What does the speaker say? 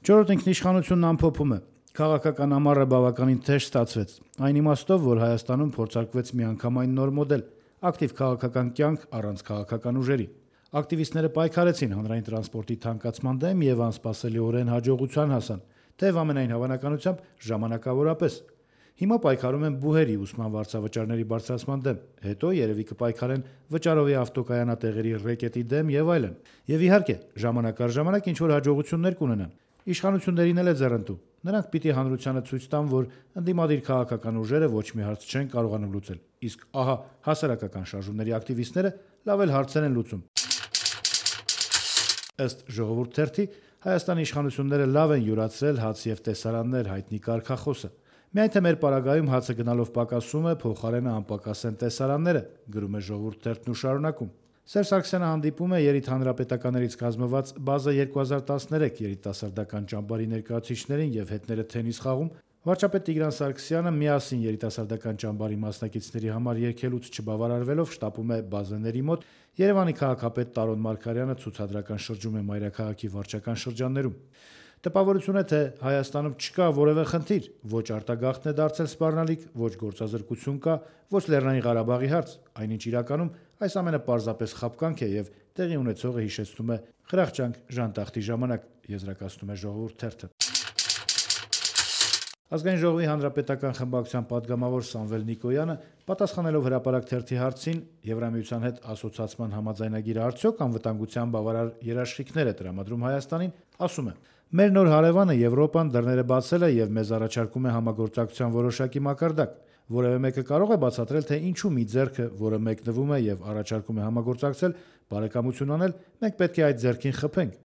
Չորրորդ ինքնիշխանությունն ամփոփում է. քաղաքական ամառը բավականին թեժ ստացվեց, այն իմաստով, որ Հայաստանում փորձարկվեց միանգամայն նոր մոդել՝ ակտիվ քաղաքական կյանք առանց քաղաքական ուժերի։ Ակտիվիստները պայքարեցին հանրային տրանսպորտի թանկացման դեմ եւ անսպասելիորեն հաջողության հասան, թեև ամենայն հավանականությամբ ժամանակավորապես։ Հիմա պայքարում են բուհերի ուսման վարձավճարների բարձրացման դեմ, հետո երևի կպայքարեն վճարովի ավտոկայանատեղերի ռեկետի դեմ եւ այլն։ Եվ իհարկե, ժամանակ առ ժամանակ ինչ-որ հաջողություններ կունենան։ Իշխանություններին էլ է ձեռնտու։ Նրանք պիտի հանրությանը ցույց տան, որ ընդդիմադիր քաղաքական ուժերը ոչ մի հարց չեն կարողանում լուծել, իսկ ահա հասարակական շարժումների ակտիվիստները լավ էլ հարցեր են լուծում։ Ըստ Ժողովուրդ թերթի, Հայաստանի իշխանությունները լավ են յուրացրել հաց եւ տեսարաններ հայտնի կարգախոսը։ Միայն թե մեր պարագայում հացը գնալով պակասում է, փոխարենը անպակաս են տեսարանները, գրում է Ժողովուրդ թերթն ու շարունակում։ Սերժ Սարգսյանը հանդիպում է երիտհանրապետականներից կազմված Բազա 2013 երիտասարդական ճամբարի ներկայացուցիչներին եւ հետները թենիս խաղում, վարչապետ Տիգրան Սարգսյանը միասին երիտասարդական ճամբարի մասնակիցների համար երգելուց չբավարարվելով շտապում է Բազաների մոտ, Երևանի քաղաքապետ Տարոն Մարգարյանը ցուցադրական շրջում է մայրաքաղաքի վարչական շրջաններում։ Տպավորություն է, թե Հայաստանում չկա որևէ խնդիր, ոչ արտագաղթն է դարձել սպառնալիք, ոչ գործազրկություն կա, ոչ Լեռնային Ղարաբաղի հարց, այնինչ իրականում այս ամենը պարզապես խաբկանք է եւ տեղի ունեցողը հիշեցնում է Խրախճանք ժանտախտի ժամանակ, եզրակացնում է Ժողովուրդ թերթը։ Ազգային ժողովի հանրապետական խմբակցության падգամավոր Սամվել Նիկոյանը, պատասխանելով Հրապարակ թերթի հարցին Եվրամիության հետ ասոցիացման համաձայնագիրը արդյոք անվտանգության բավարար երաշխիքներ է տրամադրում Հայաստանին, ասում է. «Մեր նոր հարևանը Եվրոպան դռները բացել է եւ մեզ առաջարկում է համագործակցության որոշակի մակարդակ։ Որևէ մեկը կարող է բացատրել, թե ինչու մի ձեռքը, որը մեկնվում է եւ առաջարկում է համագործակցել, բարեկամություն անել, մենք պետք է այդ ձեռքին խփենք։